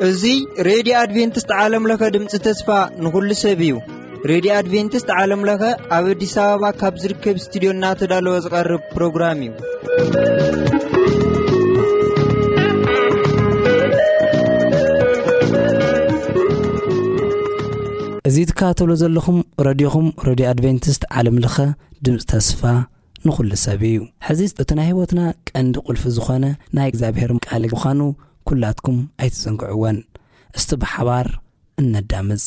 እዚ ሬድዮ ኣድቬንቲስት ዓለም ለኸ ድምፂ ተስፋ ንኹሉ ሰብ እዩ። ሬድዮ ኣድቬንቲስት ዓለም ለኸ ኣብ ኣዲስ ኣበባ ካብ ዝርከብ ስቱዲዮ እናተዳለወ ዝቐርብ ፕሮግራም እዩ። እዚ ትከታተሉ ዘለኹም ረድዮኹም ሬድዮ ኣድቬንቲስት ዓለም ለኸ ድምፂ ተስፋ ንኹሉ ሰብ እዩ። ሕዚ እቲ ናይ ህይወትና ቀንዲ ቁልፊ ዝኾነ ናይ እግዚኣብሔር ቃል ምዃኑ ኩላትኩም ኣይትዘንግዕወን። እስቲ ብሓባር እነዳምፅ።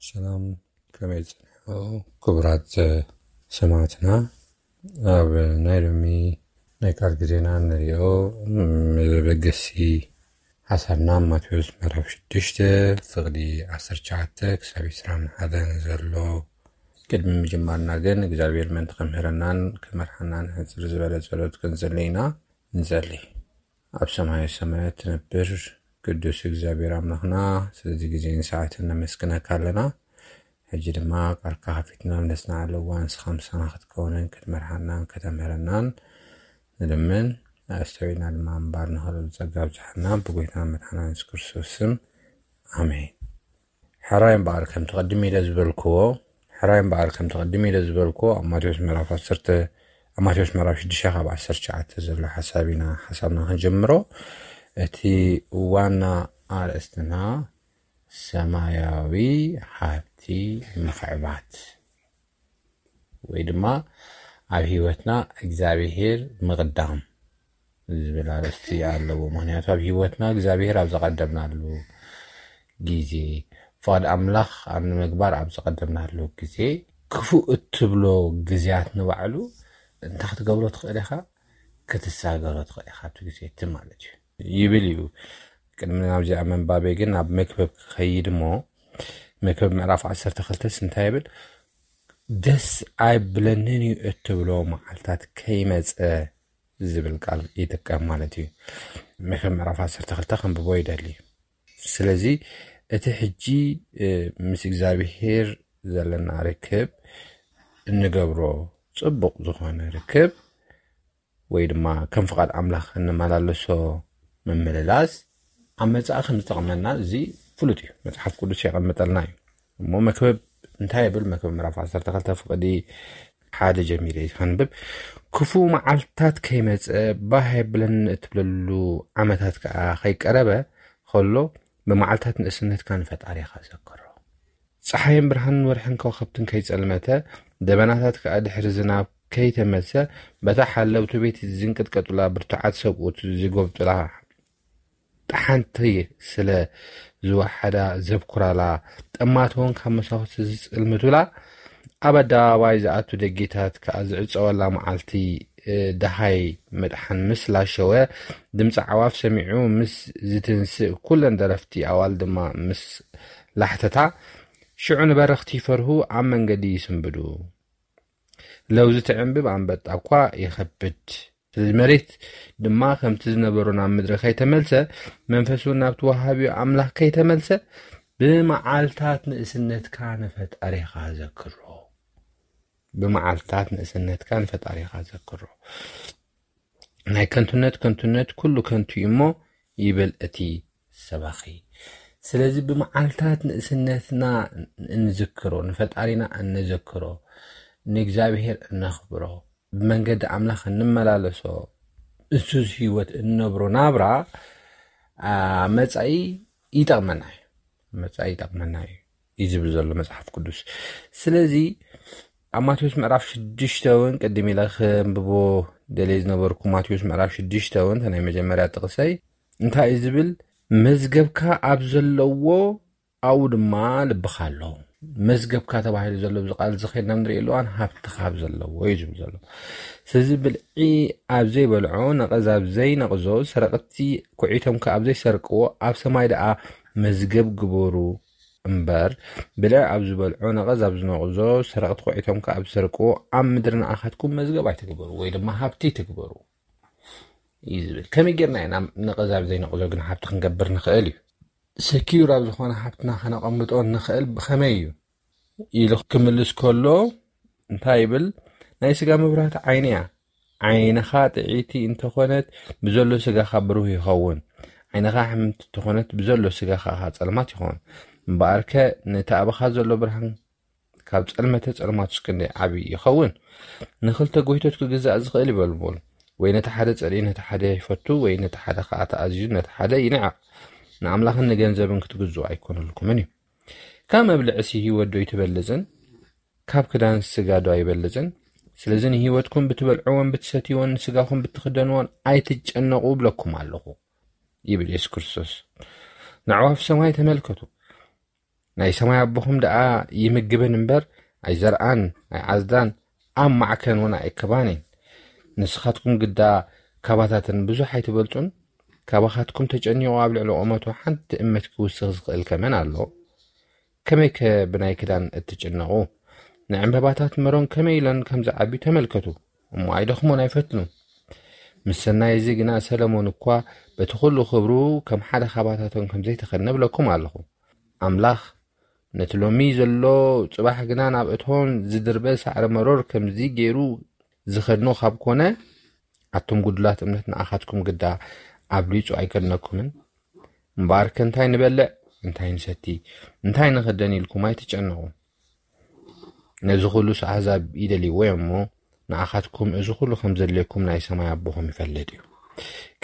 ሰላም፣ ከመይ ጸኒሑ? ክቡራት ሰማዕትና፣ ኣብ ናይ ሎሚ ናይ ቃል ግዜና እንሪኦ መበገሲ ሓሳብና ማቴዎስ ምዕራፍ ሽዱሽተ ፍቕዲ ዓሰርተ ትሽዓተ ክሳብ ዕስራን ሓደን ዘሎ። ቅድሚ ምጅማርና ግን እግዚኣብሔር ምእንቲ ከምህረናን ከመርሓናን ሕጽር ዝበለ ጸሎት ክንጽሊ ኢና። ንጸሊ። ኣብ ሰማየ ሰማያት ትነብር ቅዱስ እግዚኣብሔር ኣምላኽና፣ ስለዚ ግዜን ሰዓትን ነመስግነካ ኣለና። ሕጂ ድማ ቃልካ ከፊትና ኣብ ነስንዓሉ እዋን ንስኻ ምሳና ክትከውንን ክትመርሓናን ከተምህረናን ንልምን። ኣስተውዒልና ድማ ምንባር ንኽእል ጸጋ ኣብዝሓልና፣ ብጎይታና መድሓና የሱስ ክርስቶስ ስም፣ ኣሜን። ሕራይ እምበኣር ከምቲ ቅድም ኢለ ዝበልክዎ፣ ሕራይ እምበኣር ከምቲ ቅድም ኢለ ዝበልክዎ፣ ኣብ ማቴዎስ ምዕራፍ ዓሰርተ፣ ኣብ ማቴዎስ ምዕራፍ ሽዱሽተ ካብ ዓሰርተ ትሽዓተ ዘሎ ሓሳብ ኢና፣ ሓሳብና ክንጅምሮ። እቲ ዋና ኣርእስትና ሰማያዊ ሃብቲ ምኽዕባት ወይ ድማ ኣብ ህይወትና እግዚኣብሄር ምቕዳም ዝብል ኣርእስቲ ኣለዎ። ምኽንያቱ ኣብ ህይወትና እግዚኣብሄር ኣብ ዘቐደምናሉ ግዜ፣ ፍቓድ ኣምላኽ ኣብ ንምግባር ኣብ ዘቐደምናሉ ግዜ፣ ክፉእ እትብሎ ግዜያት ንባዕሉ እንታይ ክትገብሮ ትኽእል ኢኻ? ክትሳገሮ ትኽእል ኢኻ ኣብቲ ግዜ እቲ ማለት እዩ። ይብል እዩ። ቅድሚ ናብዚኣ ምንባበይ ግን ናብ መክብብ ክኸይድ እሞ፣ መክብብ ምዕራፍ ዓሰርተ ክልተስ እንታይ ይብል? "ደስ ኣይብለንን እዩ እትብሎ መዓልታት ከይመጸ" ዝብል ቃል ይጥቀም ማለት እዩ። መክብብ ምዕራፍ ዓሰርተ ክልተ ከንብቦ ይደሊ። ስለዚ እቲ ሕጂ፣ እ፣ ምስ እግዚኣብሄር ዘለና ርክብ እንገብሮ ጽቡቕ ዝኾነ ርክብ ወይ ድማ ከም ፍቓድ ኣምላኽ እንመላለሶ ምምልላስ ኣብ መጻኢ ከም ዝጠቕመና እዚ ፍሉጥ እዩ። መጽሓፍ ቅዱስ የቐምጠልና እዩ። እሞ መክብብ እንታይ ይብል? መክብብ ምዕራፍ ዓሰርተ ክልተ ፍቕዲ ሓደ ጀሚረ እዩ ከንብብ። "ክፉእ መዓልትታት ከይመጸ፣ ባህ የብለኒ እትብለሉ ዓመታት ከኣ ከይቀረበ ከሎ፣ ብመዓልትታት ንእስነትካ ንፈጣሪኻ ዘክሮ። ጸሓይን ብርሃንን ወርሕን ከዋኽብትን ከይጸልመተ፣ ደበናታት ከኣ ድሕሪ ዝናብ ከይተመልሰ፣ በታ ሓለውቲ ቤት ዝንቅጥቀጡላ፣ ብርቱዓት ሰብኡት ዝጎብጡላ፣ ጠሓንቲ ስለ ዝወሓዳ ዘብኩራላ፣ ጠማት እውን ካብ መሳኹቲ ዝጽልምቱላ፣ ኣብ ኣደባባይ ዝኣቱ ደጌታት ከኣ ዝዕጸወላ መዓልቲ፣ እ፣ ደሃይ ምጥሓን ምስ ላሸወ፣ ድምጺ ኣዕዋፍ ሰሚዑ ምስ ዝትንስእ፣ ኩለን ደረፍቲ ኣዋል ድማ ምስ ላሕተታ፣ ሽዑ ንበረኽቲ ይፈርሁ፣ ኣብ መንገዲ ይስንብዱ። ለውዚ ትዕንብብ፣ ኣንበጣ እኳ ይኸብድ። ስለዚ መሬት ድማ ከምቲ ዝነበሮ ናብ ምድሪ ከይተመልሰ፣ መንፈስ እውን ናብቲ ወሃቢኡ ኣምላኽ ከይተመልሰ፣ ብመዓልታት ንእስነትካ ንፈጣሪኻ ዘክሮ። ብመዓልታት ንእስነትካ ንፈጣሪኻ ዘክሮ። ናይ ከንቱነት ከንቱነት፣ ኩሉ ከንቱ እዩ እሞ፣ ይብል እቲ ሰባኺ። ስለዚ ብመዓልታት ንእስነትና እንዝክሮ፣ ንፈጣሪና እንዝክሮ፣ ንእግዚኣብሔር እነኽብሮ፣ ብመንገዲ ኣምላኽ እንመላለሶ፣ እሱስ ህይወት እንነብሮ ናብራ መፃኢ ይጠቕመና እዩ። መፃኢ ይጠቕመና እዩ እዩ ዝብል ዘሎ መፅሓፍ ቅዱስ። ስለዚ ኣብ ማቴዎስ ምዕራፍ ሽዱሽተ እውን ቅድም ኢለ ከንብቦ ደልየ ዝነበርኩ፣ ማቴዎስ ምዕራፍ ሽዱሽተ እውን ናይ መጀመርያ ጥቕሰይ እንታይ እዩ ዝብል? መዝገብካ ኣብ ዘለዎ ኣብኡ ድማ ልብኻ ኣሎ። መዝገብካ ተባሂሉ ዘሎ ብዚ ቃል እዚ ከይድና ንሪኦ ኣለዋን ሃብትኻ ኣብ ዘለዎ እዩ ዝብል ዘሎ። ስለዚ ብልዒ ኣብ ዘይበልዖ፣ ነቐዝ ኣብ ዘይነቕዞ፣ ሰረቕቲ ኩዒቶም ከ ኣብ ዘይሰርቅዎ፣ ኣብ ሰማይ ደኣ መዝገብ ግበሩ እምበር፣ ብልዒ ኣብ ዝበልዖ፣ ነቐዝ ኣብ ዝነቕዞ፣ ሰረቕቲ ኩዒቶም ከ ኣብ ዝሰርቅዎ፣ ኣብ ምድሪ ንኣኻትኩም መዝገብ ኣይትግበሩ ወይ ድማ ሃብቲ ትግበሩ እዩ ዝብል። ከመይ ጌርና ኢና ነቐዝ ኣብ ዘይነቕዞ ግን ሃብቲ ክንገብር ንኽእል እዩ? ሰኪዩር ኣብ ዝኾነ ሃብትና ከነቐምጦ ንኽእል ብኸመይ እዩ ኢሉ ክምልስ ከሎ እንታይ ይብል? ናይ ስጋ መብራህቲ ዓይኒ እያ። ዓይንኻ ጥዒቲ እንተኾነት ብዘሎ ስጋኻ ብሩህ ይኸውን። ዓይንኻ ሕምምቲ እንተኾነት ብዘሎ ስጋኻ ኸዓ ጸልማት ይኸውን። እምበኣርከ ነቲ ኣባኻ ዘሎ ብርሃን ካብ ጸልመተ ጸልማቱስ ክንደይ ዓቢ ይኸውን። ንኽልተ ጎይቶት ክግዛእ ዝኽእል ይበልቦል። ወይ ነቲ ሓደ ጸሊኡ ነቲ ሓደ ይፈቱ፣ ወይ ነቲ ሓደ ኸዓ ተኣዚዙ ነቲ ሓደ ይንዕቕ። ንኣምላኽን ንገንዘብን ክትግዝኡ ኣይኮነልኩምን እዩ። ካብ መብልዕሲ ህይወት ዶ ኣይትበልጽን? ካብ ክዳን ስጋ ዶ ኣይበልጽን? ስለዚ ንህይወትኩም ብትበልዕዎን ብትሰትይዎን ንስጋኹም ብትኽደንዎን ኣይትጨነቑ እብለኩም ኣለኹ ይብል የሱስ ክርስቶስ። ንኣዕዋፍ ሰማይ ተመልከቱ። ናይ ሰማይ ኣቦኹም ደኣ ይምግበን እምበር ኣይዘርኣን ኣይዓጽዳን ኣብ ማዕከን እውን ኣይእክባን እየን። ንስኻትኩም ግዳ ካባታተን ብዙሕ ኣይትበልጹን? ካባኻትኩም ተጨኒቑ ኣብ ልዕሊ ቁመቱ ሓንቲ እመት ክውስኽ ዝኽእል ከመን ኣሎ? ከመይከ ብናይ ክዳን እትጭነቑ? ንዕምበባታት መሮን ከመይ ኢለን ከም ዝዓብዩ ተመልከቱ፣ እሞ ኣይደኽሙን ኣይፈትኑን። ምስ ሰናይ እዚ ግና ሰለሞን እኳ በቲ ኹሉ ክብሩ ከም ሓደ ካባታቶም ከም ዘይተኸድነ እብለኩም ኣለኹ። ኣምላኽ ነቲ ሎሚ ዘሎ ጽባሕ ግና ናብ እቶን ዝድርበ ሳዕሪ መሮር ከምዚ ገይሩ ዝኸድኖ ካብ ኮነ፣ ኣቱም ጉዱላት እምነት ንኣኻትኩም ግዳ ኣብሊጹ ኣይከድነኩምን? እምበኣርከ እንታይ ንበልዕ፣ እንታይ ንሰቲ፣ እንታይ ንኽደን ኢልኩም ኣይትጨነቑ። ነዚ ኹሉስ ኣህዛብ ይደልይዎ እዮም እሞ፣ ንኣኻትኩም እዚ ኹሉ ከም ዘድልየኩም ናይ ሰማይ ኣቦኹም ይፈልጥ እዩ።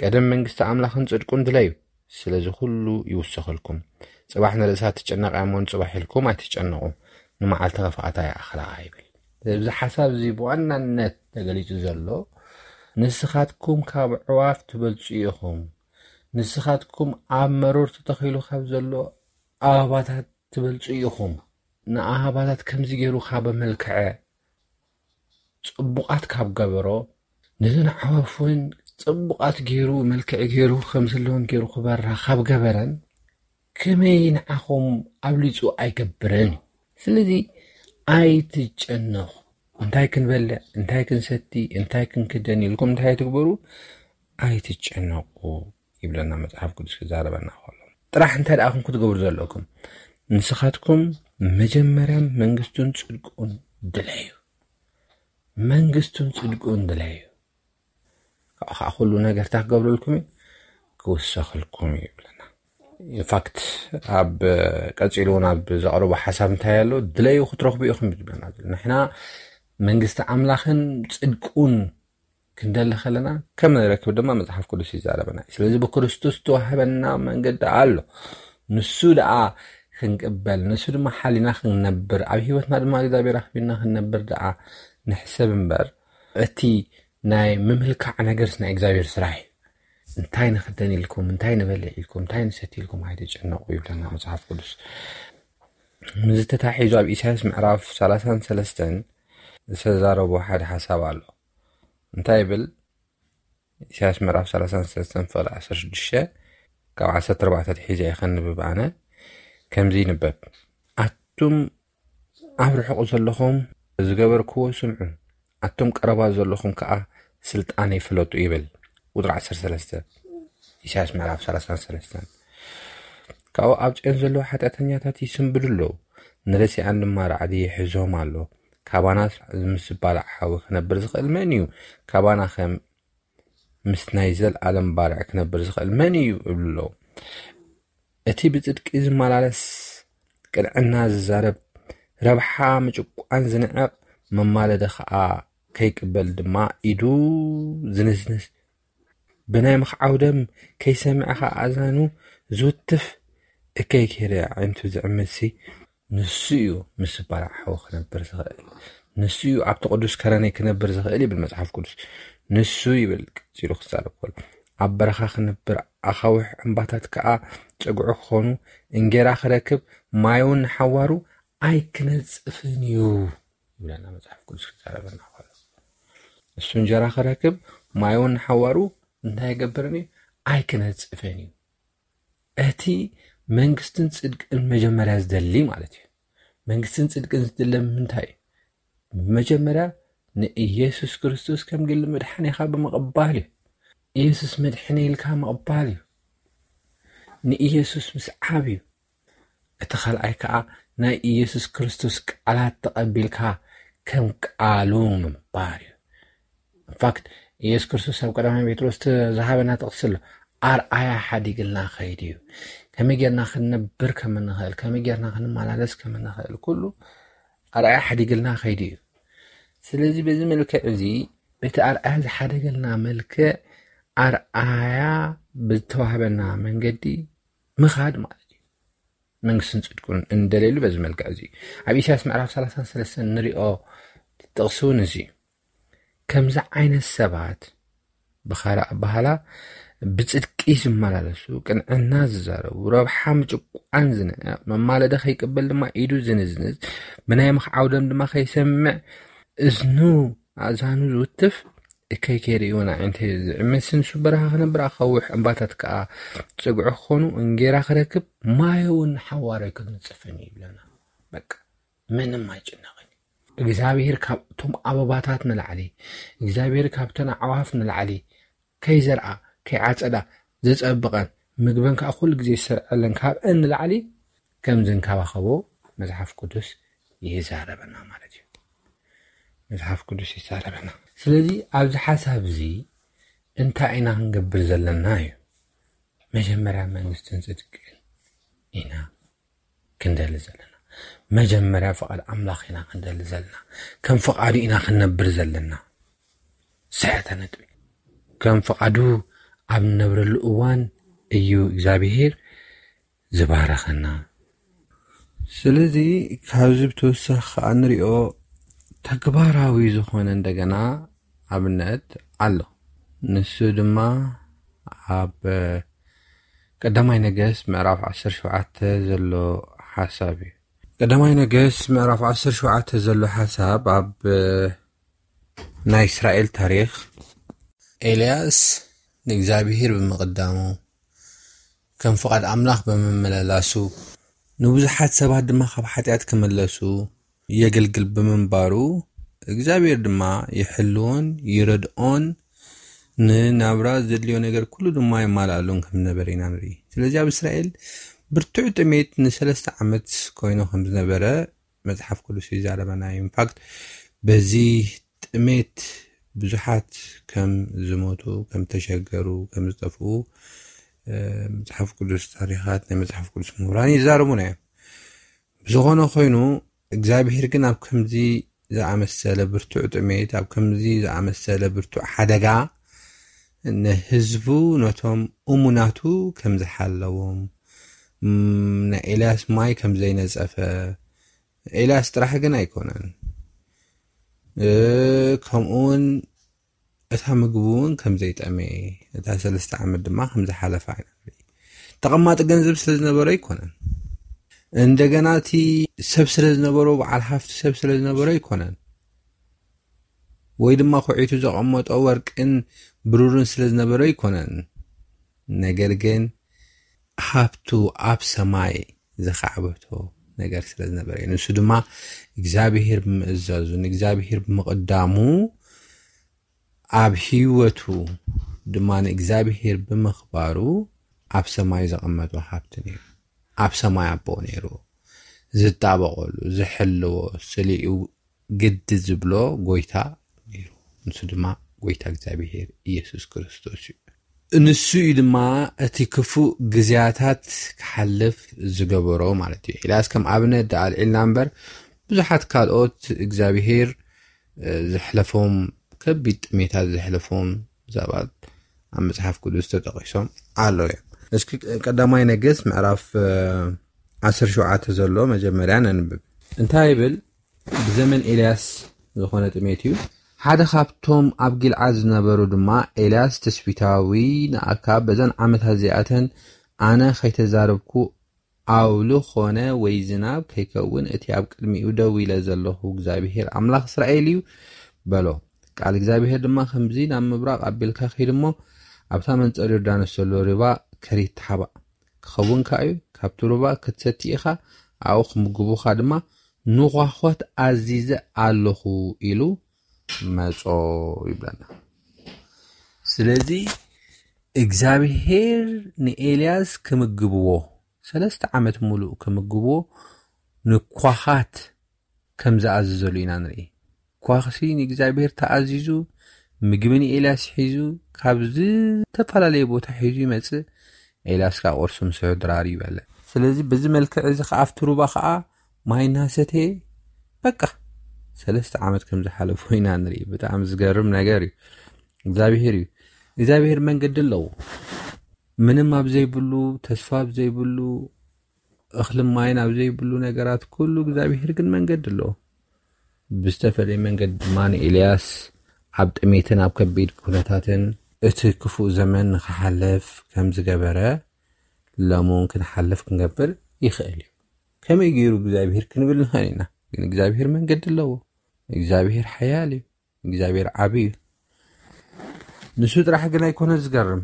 ቀደም መንግስቲ ኣምላኽን ጽድቁን ድለዩ፣ ስለዚ ኩሉ ይውሰኸልኩም። ጽባሕ ንርእሳ ትጨነቕ እያ እሞ፣ ንጽባሕ ኢልኩም ኣይትጨነቑ፣ ንመዓልቲ ክፍኣታ ይኣኽላ ይብል። እዚ ሓሳብ እዚ ብዋናነት ተገሊጹ ዘሎ፣ ንስኻትኩም ካብ ኣዕዋፍ ትበልጹ ኢኹም፣ ንስኻትኩም ኣብ መሮር ተተኺሉ ካብ ዘሎ ኣበባታት ትበልጹ ኢኹም። ንኣበባታት ከምዚ ገይሩ ካብ ኣመልክዐ፣ ጽቡቓት ካብ ገበሮ፣ ነዘን ኣዕዋፍ እውን ጽቡቓት ገይሩ፣ መልክዕ ገይሩ፣ ከም ዘለወን ገይሩ ክበራ ካብ ገበረን፣ ከመይ ንዓኹም ኣብሊጹ ኣይገብርን? ስለዚ ኣይትጨነቑ። እንታይ ክንበልዕ፣ እንታይ ክንሰቲ፣ እንታይ ክንክደን ኢልኩም እንታይ ኣይትግበሩ፣ ኣይትጨነቑ ይብለና መጽሓፍ ቅዱስ ክዛረበና ከሎ። ጥራሕ እንታይ ደኣ ኢኹም ክትገብሩ ዘለኩም? ንስኻትኩም መጀመርያ መንግስቱን ጽድቁን ድለዩ። መንግስቱን ጽድቁን ድለዩ። ካብኡ ከዓ ኩሉ ነገር እንታይ ክገብረልኩም እዩ? ክውሰኸልኩም እዩ ይብለና። ኢንፋክት ኣብ ቀጺሉ እውን ኣብ ዘቕረቦ ሓሳብ እንታይ ኣሎ? ድለዩ ክትረኽቡ ኢኹም እዩ ዝብለና ዘሎ። ንሕና መንግስቲ ኣምላኽን ጽድቁን ክንደሊ ከለና ከም ንረክብ ድማ መጽሓፍ ቅዱስ ይዛረበና እዩ። ስለዚ ብክርስቶስ ዝተዋህበና መንገዲ ኣሎ። ንሱ ደኣ ክንቅበል፣ ንሱ ድማ ሓሊና ክንነብር፣ ኣብ ህይወትና ድማ እግዚኣብሔር ኣኽቢርና ክንነብር ደኣ ንሕሰብ እምበር፣ እቲ ናይ ምምልካዕ ነገርስ ናይ እግዚኣብሔር ስራሕ እዩ። እንታይ ንኽደን ኢልኩም፣ እንታይ ንበልዕ ኢልኩም፣ እንታይ ንሰቲ ኢልኩም ኣይትጨነቑ ይብለና መጽሓፍ ቅዱስ። ምስዚ ተታሒዙ ኣብ ኢሳያስ ምዕራፍ ሰላሳን ሰለስተን ዝተዛረቦ ሓደ ሓሳብ ኣሎ። እንታይ ይብል? ኢሳያስ ምዕራፍ ሰላሳን ሰለስተን ፍቕዲ ዓሰርተ ሽዱሽተ፣ ካብ ዓሰርተ ኣርባዕተ ኣትሒዘ እየ ከንብብ ኣነ። ከምዚ ይንበብ፣ ኣቱም ኣብ ርሑቕ ዘለኹም ዝገበርክዎ ስምዑ፣ ኣቱም ቀረባ ዘለኹም ከኣ ስልጣነይ ፍለጡ ይብል። ቁጽሪ ዓሰርተ ሰለስተ፣ ኢሳያስ ምዕራፍ ሰላሳን ሰለስተን። ካብኡ ኣብ ጽዮን ዘለዉ ሓጢኣተኛታት ይስንብዱ ኣለዉ፣ ንረሲኣን ድማ ራዕዲ ይሕዞም ኣሎ። ካባናስ ምስ ዝባላዕ ሓዊ ክነብር ዝኽእል መን እዩ? ካባና ከም ምስ ናይ ዘልኣለም ባርዕ ክነብር ዝኽእል መን እዩ? ይብሉ ኣለዉ። እቲ ብጽድቂ ዝመላለስ፣ ቅንዕና ዝዛረብ፣ ረብሓ ምጭቋን ዝንዕቕ፣ መማለዲ ኸኣ ከይቅበል ድማ ኢዱ ዝንዝንዝ፣ ብናይ ምኽዓው ደም ከይሰምዐ ኸዓ ኣዛኑ ዝውትፍ እከይ ከይደ ኣዒንቱ ዝዕምትሲ ንሱ እዩ ምስ በላዕ ሓዊ ክነብር ዝኽእል። ንሱ እዩ ኣብቲ ቅዱስ ከረነይ ክነብር ዝኽእል ይብል መጽሓፍ ቅዱስ። ንሱ ይብል ቀጺሉ ክዛረብ ከሎ ኣብ በረኻ ክነብር ኣኻውሕ እምባታት ከኣ ጸግዑ ክኾኑ እንጌራ ክረክብ ማይ እውን ንሓዋሩ ኣይክነጽፍን እዩ ይብለና መጽሓፍ ቅዱስ ክዛረበና ከሎ። እሱ እንጀራ ክረክብ ማይ እውን ንሓዋሩ እንታይ ይገብርን እዩ? ኣይክነጽፍን እዩ። እቲ መንግስትን ጽድቅን መጀመርያ ዝደሊ ማለት እዩ። መንግስትን ጽድቅን ዝድለ ምንታይ እዩ? መጀመርያ ንኢየሱስ ክርስቶስ ከም ግሊ መድሓኒኻ ብምቕባል እዩ። ኢየሱስ መድሕኒ ኢልካ ምቕባል እዩ። ንኢየሱስ ምስዓብ እዩ። እቲ ካልኣይ ከዓ ናይ ኢየሱስ ክርስቶስ ቃላት ተቐቢልካ ከም ቃሉ ምንባር እዩ። ኢንፋክት ኢየሱስ ክርስቶስ ኣብ ቀዳማይ ጴጥሮስ ዝሃበና ጥቕሲ ኣሎ። ኣርኣያ ሓዲግልና ከይዱ እዩ። ከመይ ጌርና ክንነብር ከም እንኽእል፣ ከመይ ጌርና ክንመላለስ ከም እንኽእል ኩሉ ኣርኣያ ሓዲግልና ከይዱ እዩ። ስለዚ በዚ መልክዕ እዚ በቲ ኣርኣያ ዝሓደገልና መልክዕ ኣርኣያ ብዝተዋህበና መንገዲ ምኻድ ማለት እዩ። መንግስትን ጽድቁን እንደሌሉ በዚ መልክዕ እዚ ኣብ ኢሳያስ ምዕራፍ ሰላሳን ሰለስተን ንሪኦ ጥቕሲ እውን እዚ ከምዚ ዓይነት ሰባት ብኻልእ ኣባህላ ብጽድቂ ዝመላለሱ፣ ቅንዕና ዝዛረቡ፣ ረብሓ ምጭቋን ዝንዕቕ፣ መማለደ ከይቅበል ድማ ኢዱ ዝንዝንዝ፣ ብናይ ምኽዓው ደም ድማ ከይሰምዕ እዝኑ ኣእዛኑ ዝውትፍ፣ እከይ ከይርእይውን ኣዒንተይ ዝዕምት፣ ንሱ በረኻ ክነብር ኣኻውሕ እምባታት ከኣ ጽግዑ ክኾኑ፣ እንጌራ ክረክብ ማይ እውን ሓዋሩ ኣይክንጽፍን እዩ ይብለና። በቃ ምንም ኣይጭነቕን እዩ። እግዚኣብሔር ካብቶም ኣበባታት ንላዕሊ፣ እግዚኣብሔር ካብተን ኣዕዋፍ ንላዕሊ ከይዘርኣ ከይዓጸዳ ዘጸብቐን ምግበን ከዓ ኩሉ ግዜ ዝሰርዐለን ካብአን ንላዕሊ ከም ዝንከባኸቦ መጽሓፍ ቅዱስ ይዛረበና ማለት እዩ። መጽሓፍ ቅዱስ ይዛረበና። ስለዚ ኣብዚ ሓሳብ እዚ እንታይ ኢና ክንገብር ዘለና እዩ? መጀመርያ መንግስትን ጽድቅን ኢና ክንደሊ ዘለና። መጀመርያ ፍቓድ ኣምላኽ ኢና ክንደሊ ዘለና። ከም ፍቓዱ ኢና ክንነብር ዘለና። ሰያታ ነጥቢ። ከም ፍቓዱ ኣብ ንነብረሉ እዋን እዩ እግዚኣብሔር ዝባረኸና። ስለዚ ካብዚ ብተወሳኺ ከዓ ንሪኦ ተግባራዊ ዝኾነ እንደገና ኣብነት ኣሎ። ንሱ ድማ ኣብ ቀዳማይ ነገስት ምዕራፍ ዓሰርተ ሸውዓተ ዘሎ ሓሳብ እዩ። ቀዳማይ ነገስት ምዕራፍ ዓሰርተ ሸውዓተ ዘሎ ሓሳብ ኣብ ናይ እስራኤል ታሪኽ ኤልያስ ንእግዚኣብሔር ብምቕዳሙ ከም ፍቓድ ኣምላኽ ብምምልላሱ ንብዙሓት ሰባት ድማ ካብ ሓጢኣት ክምለሱ የገልግል ብምንባሩ እግዚኣብሔር ድማ ይሕልዎን ይረድኦን ንናብራ ዘድልዮ ነገር ኩሉ ድማ የማልኣሉን ከም ዝነበረ ኢና ንርኢ። ስለዚ ኣብ እስራኤል ብርቱዕ ጥሜት ንሰለስተ ዓመት ኮይኑ ከም ዝነበረ መጽሓፍ ቅዱስ ይዛረበና እዩ። ኢንፋክት በዚ ጥሜት ብዙሓት ከም ዝሞቱ ከም ተሸገሩ ከም ዝጠፍኡ መጽሓፍ ቅዱስ ታሪኻት ናይ መጽሓፍ ቅዱስ ምሁራን ይዛረቡና እዮም። ብዝኾነ ኮይኑ እግዚኣብሔር ግን ኣብ ከምዚ ዝኣመሰለ ብርቱዕ ጥሜት ኣብ ከምዚ ዝኣመሰለ ብርቱዕ ሓደጋ ንህዝቡ ነቶም እሙናቱ ከም ዝሓለዎም ናይ ኤልያስ ማይ ከም ዘይነጸፈ ኤልያስ ጥራሕ ግን ኣይኮነን። ከምኡውን እታ ምግቢ እውን ከም ዘይጠመየ እታ ሰለስተ ዓመት ድማ ከም ዝሓለፈ ኢና ንርኢ። ተቐማጢ ገንዘብ ስለ ዝነበረ ኣይኮነን። እንደገና እቲ ሰብ ስለ ዝነበሮ በዓል ሃፍቲ ሰብ ስለ ዝነበረ ኣይኮነን። ወይ ድማ ኩዒቱ ዘቐመጦ ወርቅን ብሩርን ስለ ዝነበረ ኣይኮነን። ነገር ግን ሃብቱ ኣብ ሰማይ ዝኻዕበቶ ነገር ስለ ዝነበረ እዩ። ንሱ ድማ እግዚኣብሔር ብምእዛዙ ንእግዚኣብሔር ብምቕዳሙ ኣብ ህይወቱ ድማ ንእግዚኣብሔር ብምኽባሩ ኣብ ሰማይ ዘቐመጦ ሃብቲ ነይሩ። ኣብ ሰማይ ኣቦ ነይሩ ዝጣበቐሉ ዝሕልዎ ስሊኡ ግዲ ዝብሎ ጎይታ ነይሩ። ንሱ ድማ ጎይታ እግዚኣብሔር ኢየሱስ ክርስቶስ እዩ። ንሱ እዩ ድማ እቲ ክፉእ ግዜያታት ክሓልፍ ዝገበሮ ማለት እዩ። ኢላስ ከም ኣብነት ደኣ ኣልዒልና እምበር ብዙሓት ካልኦት እግዚኣብሔር ዘሕለፎም ከቢድ ጥሜታት ዘሕለፎም ሰባት ኣብ መጽሓፍ ቅዱስ ተጠቒሶም ኣለዉ እዮም። እስኪ ቀዳማይ ነገስት ምዕራፍ ዓሰርተ ሸውዓተ ዘሎ መጀመርያ ነንብብ። እንታይ ይብል? ብዘመን ኤልያስ ዝኾነ ጥሜት እዩ። ሓደ ካብቶም ኣብ ጊልዓድ ዝነበሩ ድማ ኤልያስ ትስቢታዊ ንኣካብ፣ በዘን ዓመታት እዚኣተን ኣነ ከይተዛረብኩ ኣውሊ ኾነ ወይ ዝናብ ከይከውን እቲ ኣብ ቅድሚኡ ደው ኢለ ዘለኹ እግዚኣብሄር ኣምላኽ እስራኤል እዩ በሎ። ቃል እግዚኣብሄር ድማ ከምዚ ናብ ምብራቕ ኣቢልካ ኪድ እሞ ኣብታ መንጸር ዮርዳኖስ ዘሎ ሩባ ከሪት ተሓባእ ክኸውን ከኣ እዩ። ካብቲ ሩባ ክትሰቲ ኢኻ፣ ኣብኡ ክምግቡኻ ድማ ንኳኾት ኣዚዘ ኣለኹ ኢሉ መጾ ይብለና። ስለዚ እግዚኣብሄር ንኤልያስ ክምግብዎ፣ ሰለስተ ዓመት ሙሉእ ክምግብዎ ንኳኻት ከም ዝኣዘዘሉ ኢና ንርኢ። ኳኽሲ ንእግዚኣብሄር ተኣዚዙ፣ ምግቢ ንኤልያስ ሒዙ፣ ካብ ዝተፈላለየ ቦታ ሒዙ ይመጽእ። ኤልያስ ከዓ ቁርሲ ምስ ድራር ይበልዕ። ስለዚ በዚ መልክዕ እዚ ከዓ ኣብቲ ሩባ ከዓ ማይ እናሰተየ፣ በቃ ሰለስተ ዓመት ከም ዝሓለፎ ኢና ንርኢ። ብጣዕሚ ዝገርም ነገር እዩ። እግዚኣብሄር እዩ። እግዚኣብሄር መንገዲ ኣለዎ። ምንም ኣብ ዘይብሉ፣ ተስፋ ኣብ ዘይብሉ፣ እኽልን ማይን ኣብ ዘይብሉ ነገራት ኩሉ እግዚኣብሄር ግን መንገዲ ኣለዎ። ብዝተፈለየ መንገዲ ድማ ንኤልያስ ኣብ ጥሜትን ኣብ ከቢድ ኩነታትን እቲ ክፉእ ዘመን ንኽሓልፍ ከም ዝገበረ ሎሚ እውን ክንሓልፍ ክንገብር ይኽእል እዩ። ከመይ ገይሩ እግዚኣብሄር ክንብል ንኽእል ኢና። ግን እግዚኣብሄር መንገዲ ኣለዎ። እግዚኣብሄር ሓያል እዩ። እግዚኣብሄር ዓቢ እዩ። ንሱ ጥራሕ ግን ኣይኮነ ዝገርም።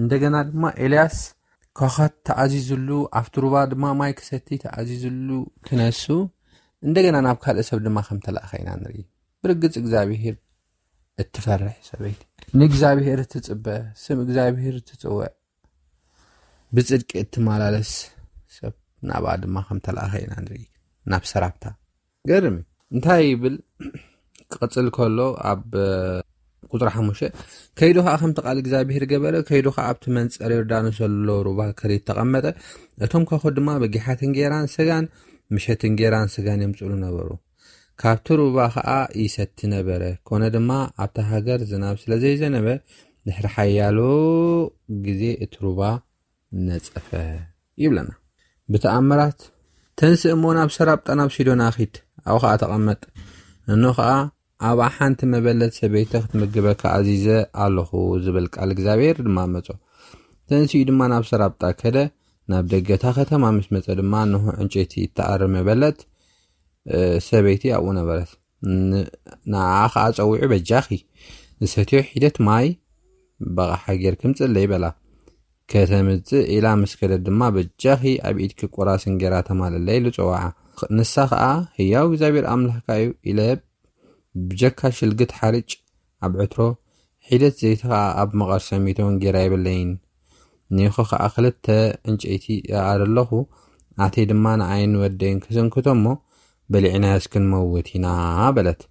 እንደገና ድማ ኤልያስ ኳኻት ተኣዚዝሉ፣ ኣብቲ ሩባ ድማ ማይ ክሰቲ ተኣዚዝሉ ክነሱ፣ እንደገና ናብ ካልእ ሰብ ድማ ከም ተላእኸ ኢና ንርኢ። ብርግጽ እግዚኣብሄር እትፈርሕ ሰበይቲ፣ ንእግዚኣብሄር እትጽበ፣ ስም እግዚኣብሄር እትጽውዕ፣ ብጽድቂ እትመላለስ ሰብ ናብኣ ድማ ከም ተላእኸ ኢና ንርኢ። ናብ ሰራፕታ ገርም እዩ። እንታይ ይብል? ክቕጽል ከሎ ኣብ ቁጽሪ ሓሙሽተ፣ ከይዱ ኸዓ ከምቲ ቃል እግዚኣብሄር ገበረ። ከይዱ ኸዓ ኣብቲ መንጸር ዮርዳኖስ ዘሎ ሩባ ከሪት ተቐመጠ። እቶም ኳኹ ድማ በጊሓት እንጌራን ስጋን፣ ምሸት እንጌራን ስጋን የምጽሉ ነበሩ። ካብቲ ሩባ ኸዓ ይሰቲ ነበረ። ኮነ ድማ ኣብታ ሃገር ዝናብ ስለ ዘይዘነበ ድሕሪ ሓያሎ ግዜ እቲ ሩባ ነጸፈ ይብለና። ብተኣምራት፣ ተንስእ እሞ ናብ ሰራብጣ ናብ ሲዶና ኺድ፣ ኣብኡ ኸዓ ተቐመጥ። እኖ ኸዓ ኣብኣ ሓንቲ መበለት ሰበይቲ ክትምግበካ ኣዚዘ ኣለኹ ዝብል ቃል እግዚኣብሔር ድማ መጾ። ተንሲኡ ድማ ናብ ሰራብጣ ከደ። ናብ ደገታ ከተማ ምስ መጸ ድማ እንሆ ዕንጨይቲ እትኣሪ መበለት ሰበይቲ ኣብኡ ነበረት። ንዓኣ ኸዓ ጸዊዑ በጃኺ ዝሰትዮ ሒደት ማይ ብቕዓ ጌርኪ ምጽለይ በላ። ከተምጽእ ኢላ ምስ ከደት ድማ በጃኺ ኣብ ኢድኪ ቁራስ እንጌራ ተማልለይ ኢሉ ጸውዓ። ንሳ ኸዓ ህያው እግዚኣብሔር ኣምላኽካ እዩ ኢለ ብጀካ ሽልግት ሓርጭ ኣብ ዕትሮ ሒደት ዘይቲ ኸዓ ኣብ መቐር ሰሚቶ እንጌራ የብለይን። ኒኾ ኸዓ ክልተ ዕንጨይቲ እኣሪ ኣለኹ፣ ኣተይ ድማ ንኣይን ወደይን ክስንክቶ እሞ በሊዕናዮስ ክንመውት ኢና በለት።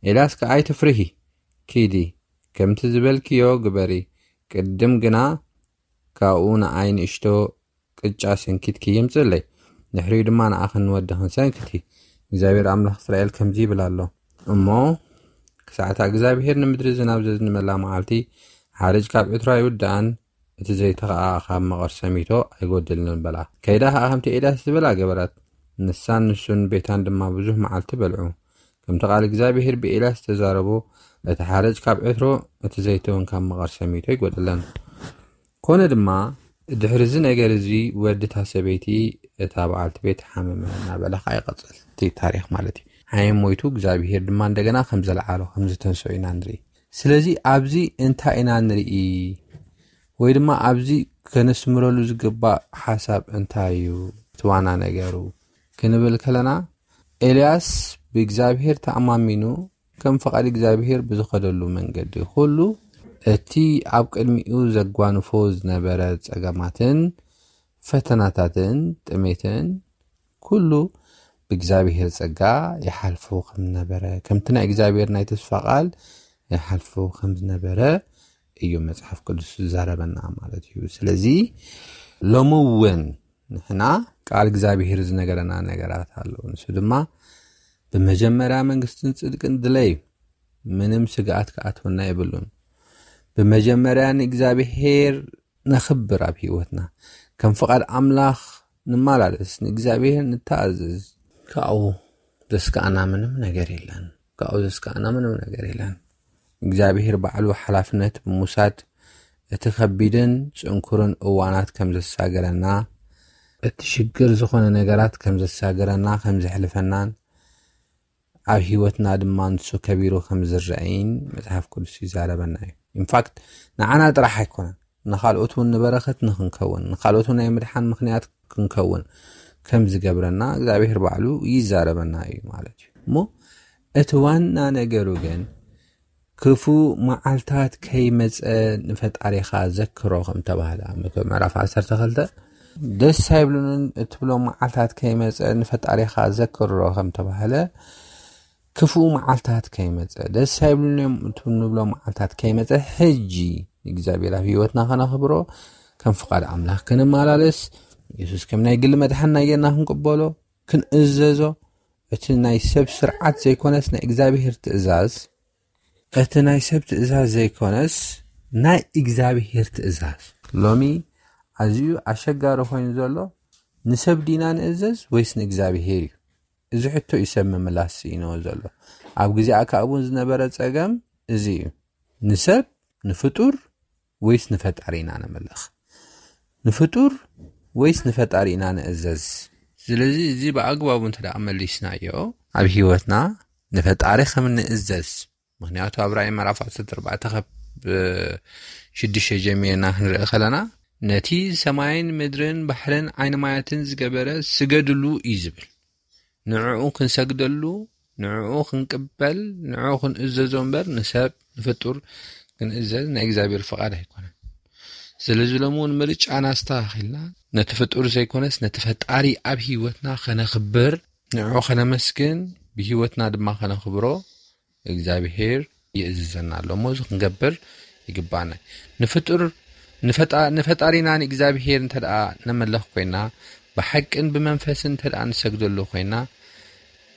ኤልያስ ከኣ ኣይትፍርሂ፣ ኪዲ ከምቲ ዝበልክዮ ግበሪ፣ ቅድም ግና ካብኡ ንኣይ ንእሽቶ ቅጫ ሰንኪትኪ ይምጽእለይ፣ ድሕሪኡ ድማ ንኣኽን ንወድኽን ሰንክቲ። እግዚኣብሔር ኣምላኽ እስራኤል ከምዚ ይብል ኣሎ እሞ፣ ክሳዕታ እግዚኣብሔር ንምድሪ ዝናብ ዘዝንመላ መዓልቲ ሓርጭ ካብ ዕትሮ ኣይውድኣን፣ እቲ ዘይቲ ኸዓ ካብ መቐር ሰሚቶ ኣይጎድልን በላ። ከይዳ ኸዓ ከምቲ ኤልያስ ዝበላ ገበረት። ንሳን ንሱን ቤታን ድማ ብዙሕ መዓልቲ በልዑ። ከምቲ ቃል እግዚኣብሔር ብኤልያስ ዝተዛረቦ፣ እቲ ሓርጭ ካብ ዕትሮ፣ እቲ ዘይቲ እውን ካብ መቐር ሰሚቶ ኣይጎደለን። ኮነ ድማ ድሕሪ እዚ ነገር እዚ ወዲ እታ ሰበይቲ እታ በዓልቲ ቤት ሓመመ እናበለ ኸዓ ይቐጽል እቲ ታሪኽ ማለት እዩ። ሓየም ሞይቱ እግዚኣብሔር ድማ እንደገና ከም ዘልዓሎ ከም ዝተንስኦ ኢና ንርኢ። ስለዚ ኣብዚ እንታይ ኢና ንርኢ? ወይ ድማ ኣብዚ ከነስምረሉ ዝግባእ ሓሳብ እንታይ እዩ? እቲ ዋና ነገሩ ክንብል ከለና ኤልያስ ብእግዚኣብሔር ተኣማሚኑ ከም ፍቓድ እግዚኣብሔር ብዝኸደሉ መንገዲ ኩሉ እቲ ኣብ ቅድሚኡ ዘጓንፎ ዝነበረ ጸገማትን ፈተናታትን ጥሜትን ኩሉ ብእግዚኣብሔር ጸጋ ይሓልፎ ከም ነበረ፣ ከምቲ ናይ እግዚኣብሔር ናይ ተስፋ ቃል ይሓልፎ ከም ዝነበረ እዩ መጽሓፍ ቅዱስ ዝዛረበና ማለት እዩ። ስለዚ ሎሚ እውን ንሕና ቃል እግዚኣብሔር ዝነገረና ነገራት ኣለዉ። ንሱ ድማ ብመጀመርያ መንግስትን ጽድቅን ድለዩ፣ ምንም ስግኣት ክኣትወና የብሉን። ብመጀመርያ ንእግዚኣብሔር ነኽብር ኣብ ህይወትና። ከም ፍቓድ ኣምላኽ ንመላለስ፣ ንእግዚኣብሔር ንተኣዘዝ። ካብኡ ዘስከኣና ምንም ነገር የለን። ካብኡ ዘስከኣና ምንም ነገር የለን። እግዚኣብሔር ባዕሉ ሓላፍነት ብምውሳድ እቲ ከቢድን ጽንኩርን እዋናት ከም ዘሳገረና፣ እቲ ሽግር ዝኾነ ነገራት ከም ዘሳገረና፣ ከም ዘሕልፈናን ኣብ ህይወትና ድማ ንሱ ከቢሩ ከም ዝረኣይን መጽሓፍ ቅዱስ ይዛረበና እዩ። ኢንፋክት ንዓና ጥራሕ ኣይኮነን፣ ንኻልኦት እውን ንበረኸት ንክንከውን፣ ንኻልኦት እውን ናይ ምድሓን ምኽንያት ክንከውን ከም ዝገብረና እግዚኣብሔር ባዕሉ ይዛረበና እዩ ማለት እዩ። እሞ እቲ ዋና ነገሩ ግን ክፉእ መዓልታት ከይመጸ ንፈጣሪኻ ዘክሮ ከም ተባህለ ኣብ መክብብ ምዕራፍ ዓሰርተ ክልተ፣ ደስ ኣይብሉንን እትብሎ መዓልታት ከይመጸ ንፈጣሪኻ ዘክሮ ከም ተባህለ፣ ክፉእ መዓልታት ከይመጸ፣ ደስ ኣይብሉን እዮም እትብሎ መዓልታት ከይመጸ፣ ሕጂ እግዚኣብሔር ኣብ ህይወትና ከነኽብሮ፣ ከም ፍቓድ ኣምላኽ ክንመላለስ፣ የሱስ ከም ናይ ግሊ መድሓንና ጌርና ክንቅበሎ፣ ክንእዘዞ፣ እቲ ናይ ሰብ ስርዓት ዘይኮነስ ናይ እግዚኣብሔር ትእዛዝ፣ እቲ ናይ ሰብ ትእዛዝ ዘይኮነስ ናይ እግዚኣብሔር ትእዛዝ። ሎሚ ኣዝዩ ኣሸጋሪ ኮይኑ ዘሎ፣ ንሰብ ዲና ንእዘዝ ወይስ ንእግዚኣብሔር እዩ? እዚ ሕቶ እዩ ሰብ ምምላስ ስኢንዎ ዘሎ። ኣብ ግዜ ኣካብ እውን ዝነበረ ጸገም እዚ እዩ። ንሰብ፣ ንፍጡር ወይስ ንፈጣሪ ኢና ነምልኽ? ንፍጡር ወይስ ንፈጣሪ ኢና ንእዘዝ? ስለዚ እዚ ብኣግባቡ እንተ ደኣ መሊስናዮ፣ ኣብ ህይወትና ንፈጣሪ ከም ንእዘዝ። ምኽንያቱ ኣብ ራእይ ምዕራፍ ዓሰርተ ኣርባዕተ ካብ ሽዱሽተ ጀሚርና ክንርኢ ከለና፣ ነቲ ሰማይን ምድርን ባሕርን ዓይኒ ማያትን ዝገበረ ስገድሉ እዩ ዝብል። ንዕኡ ክንሰግደሉ፣ ንዕኡ ክንቅበል፣ ንዕኡ ክንእዘዞ እምበር ንሰብ፣ ንፍጡር ክንእዘዝ ናይ እግዚኣብሔር ፍቓድ ኣይኮነን። ስለዚ ሎሚ እውን ምርጫና ኣስተኻኺልና ነቲ ፍጡር ዘይኮነስ ነቲ ፈጣሪ ኣብ ህይወትና ከነኽብር፣ ንዕኡ ከነመስግን፣ ብህይወትና ድማ ከነኽብሮ እግዚኣብሔር ይእዝዘና ኣሎ። እሞ እዚ ክንገብር ይግባና። ንፍጡር ንፈጣ-፣ ንፈጣሪና ንእግዚኣብሔር እንተ ደኣ ነመለኽ ኮይና፣ ብሓቅን ብመንፈስን እንተ ደኣ ንሰግደሉ ኮይና፣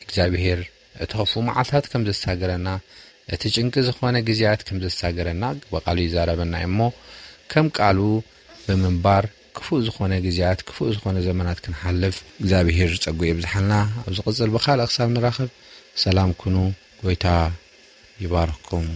እግዚኣብሔር እቲ ክፉእ መዓልታት ከም ዘሳገረና፣ እቲ ጭንቂ ዝኾነ ግዜያት ከም ዘሳገረና ብቓሉ ይዛረበና እዩ። እሞ ከም ቃሉ ብምንባር ክፉእ ዝኾነ ግዜያት፣ ክፉእ ዝኾነ ዘመናት ክንሓልፍ እግዚኣብሔር ጸጉ የብዝሓልና። ኣብ ዝቕጽል ብኻልእ ክሳብ ንራኸብ ሰላም ኩኑ። ጎይታ ይባርኽኩም።